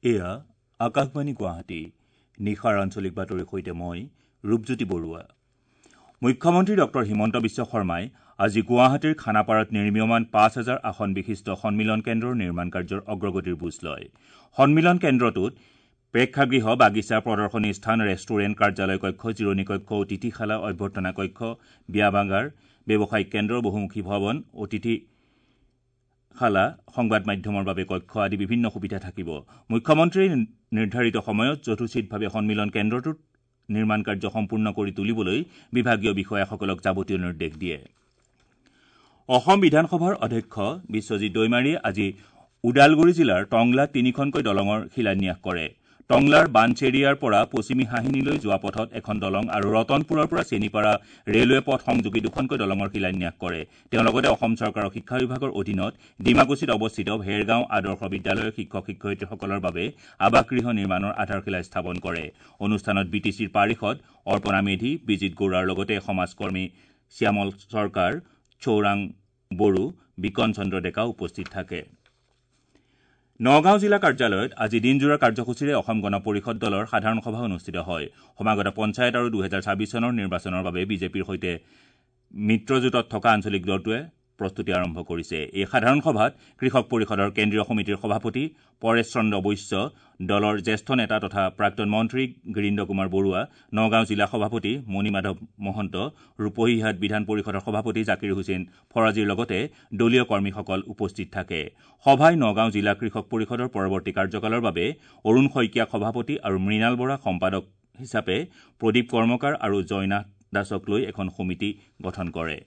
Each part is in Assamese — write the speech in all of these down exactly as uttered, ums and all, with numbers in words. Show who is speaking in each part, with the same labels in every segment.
Speaker 1: এয়া আকাশবাণী গুৱাহাটী। নিশাৰ আঞ্চলিক বাতৰিৰ সৈতে মই ৰূপজ্যোতি বৰুৱা। মুখ্যমন্ত্ৰী ডক্টৰ হিমন্ত বিশ্ব শৰ্মাই আজি গুৱাহাটীৰ খানাপাৰাত নিৰ্মীয়মান পাঁচ হাজাৰ আসন বিশিষ্ট সন্মিলন কেন্দ্ৰৰ নিৰ্মাণ কাৰ্যৰ অগ্ৰগতিৰ বুজ লয়। সন্মিলন কেন্দ্ৰটোত প্ৰেক্ষাগৃহ, বাগিচা, প্ৰদৰ্শনী স্থান, ৰেষ্টুৰেণ্ট, কাৰ্যালয় কক্ষ, জিৰণি কক্ষ, অতিথিশালা, অভ্যৰ্থনা কক্ষ, ব্যায়ামাগাৰ, ব্যৱসায়িক কেন্দ্ৰ, বহুমুখী ভৱন, অতিথিশালা, সংবাদ মাধ্যমৰ বাবে কক্ষ আদি বিভিন্ন সুবিধা থাকিব। মুখ্যমন্ত্ৰীয়ে নিৰ্ধাৰিত সময়ত যথোচিতভাৱে সন্মিলন কেন্দ্ৰটোত নিৰ্মাণ কাৰ্য সম্পূৰ্ণ কৰি তুলিবলৈ বিভাগীয় বিষয়াসকলক যাৱতীয় নিৰ্দেশ দিয়ে। অসম বিধানসভাৰ অধ্যক্ষ বিশ্বজিৎ দৈমাৰীয়ে আজি ওদালগুৰি জিলাৰ টংলাত তিনিখনকৈ দলঙৰ শিলান্যাস কৰে। টংলাৰ বানচেৰিয়াৰ পৰা পশ্চিমী হাহিনীলৈ যোৱা পথত এখন দলং আৰু ৰতনপুৰৰ পৰা চেনিপাৰা ৰেলৱে পথ সংযোগী দুখনকৈ দলঙৰ শিলান্যাস কৰে। তেওঁ লগতে অসম চৰকাৰৰ শিক্ষা বিভাগৰ অধীনত ডিমাকুছিত অৱস্থিত ভেৰগাঁও আদৰ্শ বিদ্যালয়ৰ শিক্ষক শিক্ষয়িত্ৰীসকলৰ বাবে আৱাসগৃহ নিৰ্মাণৰ আধাৰশিলা স্থাপন কৰে। অনুষ্ঠানত বি টি চিৰ পাৰিষদ অৰ্পণা মেধি, বিজিত গৌড়াৰ লগতে সমাজকৰ্মী শ্যামল চৰকাৰ, চৌৰাং বড়ো, বিকন চন্দ্ৰ ডেকা উপস্থিত থাকে। নগাঁও জিলা কাৰ্যালয়ত আজি দিনজোৰা কাৰ্যসূচীৰে অসম গণ পৰিষদ দলৰ সাধাৰণ সভা অনুষ্ঠিত হয়। সমাগত পঞ্চায়ত আৰু দুহেজাৰ ছাব্বিছ চনৰ নিৰ্বাচনৰ বাবে বিজেপিৰ সৈতে মিত্ৰজোঁটত থকা আঞ্চলিক দলটোৱে প্ৰস্তুতি আৰম্ভ কৰিছে। এই সাধাৰণ সভাত কৃষক পৰিষদৰ কেন্দ্ৰীয় সমিতিৰ সভাপতি পৰেশ চন্দ্ৰ বৈশ্য, দলৰ জ্যেষ্ঠ নেতা তথা প্ৰাক্তন মন্ত্ৰী গিৰীন্দ্ৰ কুমাৰ বৰুৱা, নগাঁও জিলা সভাপতি মণিমাধৱ মহন্ত, ৰূপহীহাট বিধান পৰিষদৰ সভাপতি জাকিৰ হুছেইন ফৰাজীৰ লগতে দলীয় কৰ্মীসকল উপস্থিত থাকে। সভাই নগাঁও জিলা কৃষক পৰিষদৰ পৰৱৰ্তী কাৰ্যকালৰ বাবে অৰুণ শইকীয়াক সভাপতি আৰু মৃণাল বৰাক সম্পাদক হিচাপে প্ৰদীপ কৰ্মকাৰ আৰু জয়নাথ দাসক লৈ এখন সমিতি গঠন কৰে।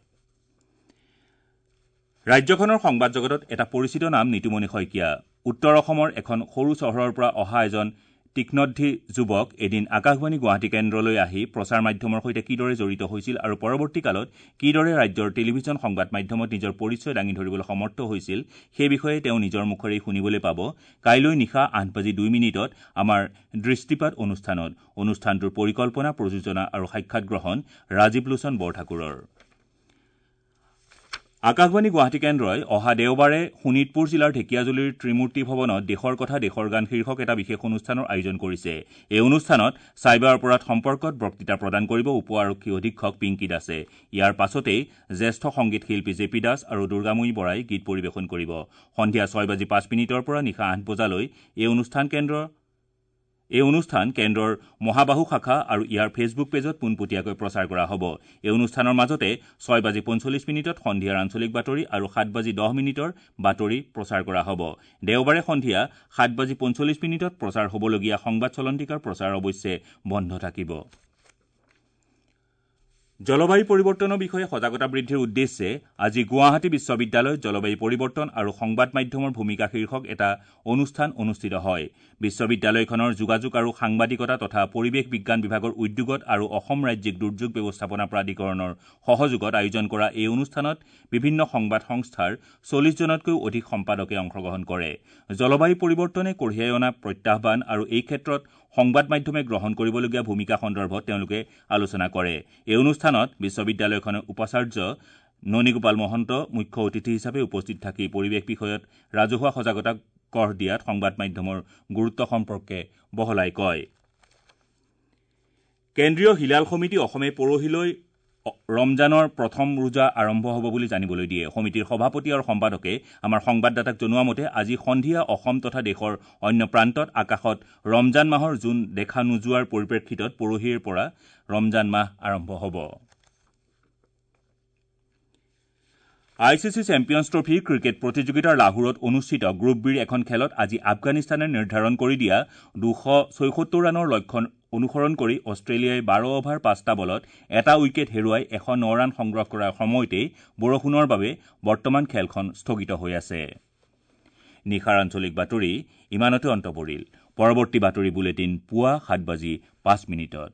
Speaker 1: ৰাজ্যখনৰ সংবাদ জগতত এটা পৰিচিত নাম নিতুমণি শইকীয়া। উত্তৰ অসমৰ এখন সৰু চহৰৰ পৰা অহা এজন তীক্ষ্ণধী যুৱক এদিন আকাশবাণী গুৱাহাটী কেন্দ্ৰলৈ আহি প্ৰচাৰ মাধ্যমৰ সৈতে কিদৰে জড়িত হৈছিল আৰু পৰৱৰ্তী কালত কিদৰে ৰাজ্যৰ টেলিভিছন সংবাদ মাধ্যমত নিজৰ পৰিচয় দাঙি ধৰিবলৈ সমৰ্থ হৈছিল সেই বিষয়ে তেওঁ নিজৰ মুখেৰেই শুনিবলৈ পাব কাইলৈ নিশা আঠ বাজি দুই মিনিটত আমাৰ দৃষ্টিপাত অনুষ্ঠানত। অনুষ্ঠানটোৰ পৰিকল্পনা, প্ৰযোজনা আৰু সাক্ষাৎ গ্ৰহণ ৰাজীৱ লোচন বৰঠাকুৰৰ। আকাশবাণী গুৱাহাটী কেন্দ্ৰই অহা দেওবাৰে শোণিতপুৰ জিলাৰ ঢেকীয়াজুলিৰ ত্ৰিমূৰ্তি ভৱনত দেশৰ কথা দেশৰ গান শীৰ্ষক এটা বিশেষ অনুষ্ঠানৰ আয়োজন কৰিছে। এই অনুষ্ঠানত চাইবাৰ অপৰাধ সম্পৰ্কত বক্তৃতা প্ৰদান কৰিব উপ আৰক্ষী অধীক্ষক পিংকী দাসে। ইয়াৰ পাছতেই জ্যেষ্ঠ সংগীত শিল্পী জে পি দাস আৰু দুৰ্গাময়ী বৰাই গীত পৰিৱেশন কৰিব। সন্ধিয়া ছয় বাজি পাঁচ মিনিটৰ পৰা নিশা আঠ বজালৈ এই অনুষ্ঠান কেন্দ্ৰ এই অনুষ্ঠান কেন্দ্ৰৰ মহাবাহু শাখা আৰু ইয়াৰ ফেচবুক পেজত পোনপটীয়াকৈ প্ৰচাৰ কৰা হ'ব। এই অনুষ্ঠানৰ মাজতে ছয় বাজি পঞ্চল্লিছ মিনিটত সন্ধিয়াৰ আঞ্চলিক বাতৰি আৰু সাত বাজি দহ মিনিটৰ বাতৰি প্ৰচাৰ কৰা হ'ব। দেওবাৰে সন্ধিয়া সাত বাজি পঞ্চল্লিছ মিনিটত প্ৰচাৰ হ'বলগীয়া সংবাদ চলন্তিকাৰ প্ৰচাৰ অৱশ্যে বন্ধ থাকিব। জলবায়ু পৰিৱৰ্তনৰ বিষয়ে সজাগতা বৃদ্ধিৰ উদ্দেশ্যে আজি গুৱাহাটী বিশ্ববিদ্যালয়ত জলবায়ু পৰিৱৰ্তন আৰু সংবাদ মাধ্যমৰ ভূমিকা শীৰ্ষক এটা অনুষ্ঠান অনুষ্ঠিত হয়। বিশ্ববিদ্যালয়খনৰ যোগাযোগ আৰু সাংবাদিকতা তথা পৰিৱেশ বিজ্ঞান বিভাগৰ উদ্যোগত আৰু অসম ৰাজ্যিক দুৰ্যোগ ব্যৱস্থাপনা প্ৰাধিকৰণৰ সহযোগত আয়োজন কৰা এই অনুষ্ঠানত বিভিন্ন সংবাদ সংস্থাৰ চল্লিছজনতকৈও অধিক সম্পাদকে অংশগ্ৰহণ কৰে। জলবায়ু পৰিৱৰ্তনে কঢ়িয়াই অনা প্ৰত্যাহ্বান আৰু এই ক্ষেত্ৰত সংবাদ মাধ্যমে গ্ৰহণ কৰিবলগীয়া ভূমিকা সন্দৰ্ভত তেওঁলোকে আলোচনা কৰে। এই অনুষ্ঠানত বিশ্ববিদ্যালয়খনৰ উপাচাৰ্য ননীগোপাল মহন্ত মুখ্য অতিথি হিচাপে উপস্থিত থাকি পৰিৱেশ বিষয়ত ৰাজহুৱা সজাগতা গঢ় দিয়াত সংবাদ মাধ্যমৰ গুৰুত্ব সম্পৰ্কে বহলাই কয়। কেন্দ্ৰীয় হিলাল সমিতি অসমে পৰহিলৈ ৰমজানৰ প্ৰথম ৰোজা আৰম্ভ হ'ব বুলি জানিবলৈ দিয়ে। সমিতিৰ সভাপতি আৰু সম্পাদকে আমাৰ সংবাদদাতাক জনোৱা মতে আজি সন্ধিয়া অসম তথা দেশৰ অন্য প্ৰান্তত আকাশত ৰমজান মাহৰ জোন দেখা নোযোৱাৰ পৰিপ্ৰেক্ষিতত পৰহিৰ পৰা ৰমজান মাহ আৰম্ভ হ'ব। I C C Champions Trophy cricket প্ৰতিযোগিতাৰ লাহোৰত অনুষ্ঠিত গ্ৰুপ বিৰ এখন খেলত আজি আফগানিস্তানে নিৰ্ধাৰণ কৰি দিয়া দুশ ছয়সত্তৰ ৰানৰ লক্ষ্য অনুসৰণ কৰি অষ্ট্ৰেলিয়াই বাৰ অভাৰ পাঁচটা বলত এটা উইকেট হেৰুৱাই এশ ন ৰান সংগ্ৰহ কৰাৰ সময়তেই বৰষুণৰ বাবে বৰ্তমান খেলখন স্থগিত হৈ আছে। নিশাৰ আঞ্চলিক বাতৰি ইমানতে অন্ত পৰিল। পৰৱৰ্তী বাতৰি বুলেটিন পুৱা সাত বাজি পাঁচ মিনিটত।